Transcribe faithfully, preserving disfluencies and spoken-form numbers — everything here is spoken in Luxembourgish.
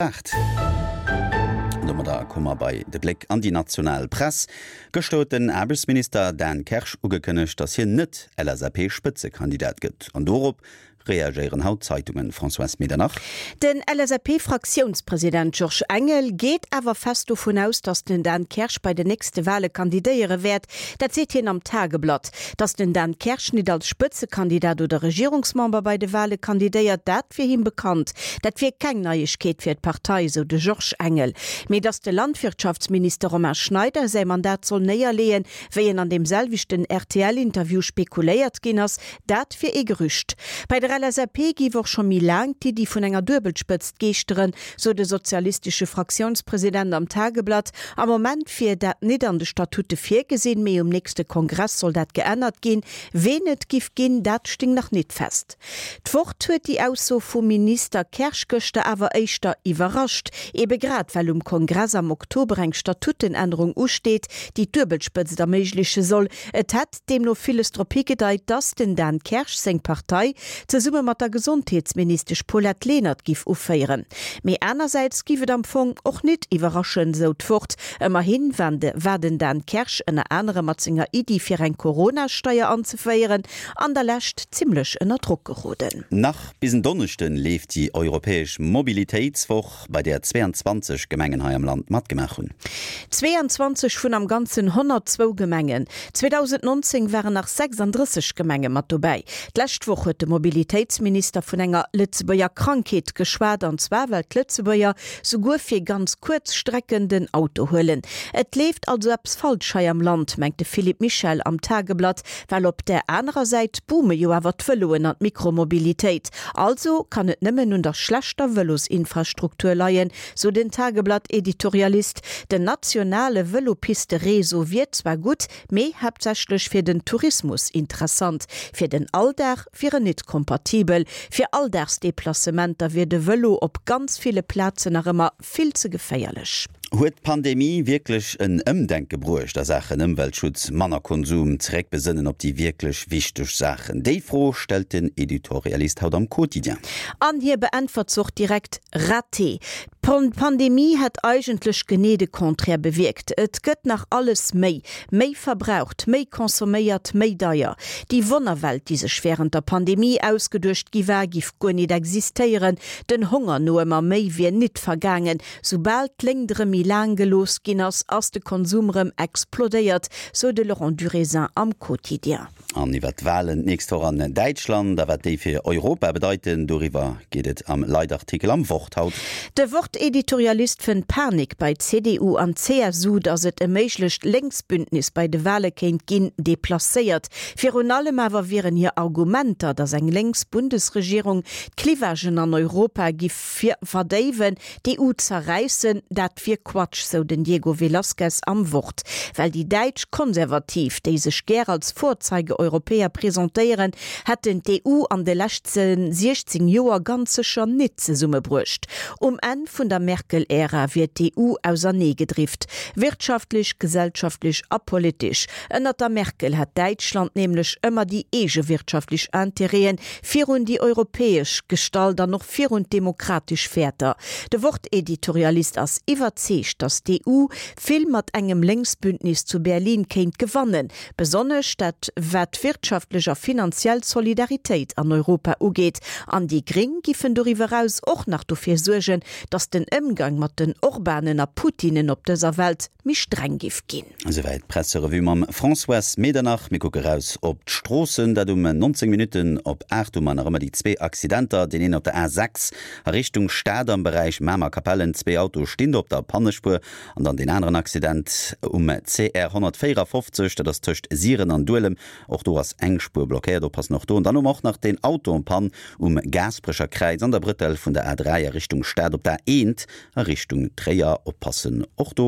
Aacht. An domadder komme mer bei de Bléck an déi national Press. Gëschter huet den Aarbechtsminister Dan Kersch ugekënnegt, datt hien net L S A P-Spëtzekandidat gëtt. An dorop reagéieren haut d'Zeitungen. Françoise Medernach. Den L S A P-Fraktiounspresident Georges Engel geet awer fest dovun aus, datt den Dan Kersch bei den nächste Wale kandidéiere wäert. Dat seet hien am Tageblatt. Datt den Dan Kersch net als Spëtzekandidat oder Regierungsmember bei de Wale kandidéiert, dat wier him bekannt. Dat wier keng Neiegkeet fir d'Partei, sou de Georges Engel. Mee datt de Landwirtschaftsminister Romain Schneider säi Mandat soll néierleeën, wéi en an deem selwechten R T L-Interview spekuléiert ginn ass, dat wier e Gerücht. Bei der L S A P géif och scho méi laang d'Iddi vun enger Duebelspëtzt geeschteren, sou de sozialistesche Fraktiounspresident am Tageblatt. Am Moment wier dat net an de Statute virgesinn, mee um nächste Kongress soll dat geännert ginn. Ween et giff ginn, dat stéing nach net fest. D'Wort huet déi Ausso vum Minister Kersch gëschter awer éischter iwwerrascht. Ebe grad well um Kongress am Oktober eng Statutenännerung usteet, déi d'Duebelspëtzt erméigleche soll. Et hätt deemno villes drop higedeit, dass den Dan Kersch seng Partei zesumme mat der Gesondheetsministesch Paulette Lenert giff uféieren. Mee anersäits giff et am Fong och net iwwerraschen, sou d'Wort. Ëmmerhi war den Dan Kersch ënner anerem mat senger Iddi fir eng Corona-Steier anzeféieren an der Lescht zimmlech ënner Drock geroden. Nach bis en Donneschden leeft déi europäesch Mobilitéitswoch, bei där zwéianzwanzeg Gemengen hei am Land matgemaach hunn. Zwéianzwanzeg vun am Ganzen honnertzwou Gemengen. zweedausendnonzéng waren nach sechsanddrësseg Gemenge mat dobäi. D'lescht Woch huet de Mobilitéitsminister vun enger Lëtzebuerger Krankheet geschwat, an zwar well d'Lëtzebuerger souguer fir ganz kuerz Strecken den Auto huelen. Et leeft also eppes falsch hei am Land, mengt de Philippe Michel am Tageblatt, well op der anerer Säit boome jo awer d'Vëloen an d'Mikromobilitéit. Also kann et nëmmen un der schlechter Vëlosinfrastruktur leien, sou den Tageblatt-Editorialist. Den nationale Vëlopisteréseau wier zwar gutt, mee haaptsächlech fir den Tourismus interessant. Fir den Alldag wier en net kompatibel. Fir Alldagsdeplacementer wier de Vëlo op ganz ville Plazen nach ëmmer vill ze geféierlech. Huet d'Pandemie wierklech en Ëmdenke bruecht a Saachen Ëmweltschutz, manner Konsum, zeréckbesënnen op déi wierklech wichteg Saachen? Déi Fro stellt den Editorialist haut am Quotidien. An hie beäntwert se och direkt: Raté. D'Pandemie hätt eigentlech genee de Contraire bewierkt. Et gëtt nach alles méi, méi verbraucht, méi consomméiert, méi deier. Déi Wonnerwelt, déi sech wärend der Pandemie ausgeduecht gi war, giff guer net existéieren. Den Honger no ëmmer méi wier net vergaangen. Soubal d'Léngt erëm méi laang gelooss ginn ass, ass de Konsum erëm explodéiert, sou de Laurent Durézin am Quotidien. An iwwer d'Walen d'nächst Woch an Däitschland a wat déi fir Europa bedeiten, doriwwer geet et am Leitartikel am Wort haut. De Wort-Editorialist fënnt Panik bei C D U an C S U, datt et e méiglecht Lénksbündnis bei de Wale kéint ginn, deplacéiert. Virun allem awer wieren hir Argumenter, datt eng lénks Bundesregierung d'Clivagen an Europa giff verdéiwen, d'E U zerräissen, dat wier Quatsch, sou den Diego Velázquez am Wort. Well déi däitsch Konservativ, déi sech gär als Vorzeige-Europäer presentéieren, hätten d'E U an de leschte siechzéng Joer ganz sécher net zesummebruecht. Um Enn vun der Merkel-Ära wier d'E U auserneegedrift. Wirtschaftlech, gesellschaftlech a politesch. Ënner der Merkel hat Däitschland nämlech ëmmer déi eege wirtschaftlech Interêten virun déi europäesch gestallt an och virun demokratesch Wäerter. De Wort-Editorialist ass iwwerzeegt, datt d'E U vill mat engem Lénksbündnis zu Berlin kéint gewannen. Besonnesch dat wat wirtschaftlech a finanziell Solidaritéit an Europa ugeet. An déi Gréng giffen doriwwer eraus och nach dofir suergen, datt den Ëmgang mat den Orbanen a Putinen op dëser Welt méi streng giff ginn. Souwäit d'Presserevue mam Françoise Medernach. Mir kucke raus op d'Stroossen, dat um nonzéng Minutten op aacht. Hu mer nach ëmmer déi zwee Accidenter, deen een op der A sechs a Richtung Stad am Beräich Mamer-Capellen, zwee Autoe stinn do op der Pannespuer, an dann deen aneren Accident um C R honnertvéierafofzeg, dat ass tëscht Siren an Duelem, och do ass eng Spuer blockéiert, oppassen och do. An dann hu mer och nach deen Auto en panne um Gaasperecher Kräiz an der Brëttel vun der A dräi a Richtung Stad op der A eent a Richtung Tréier, oppassen och do.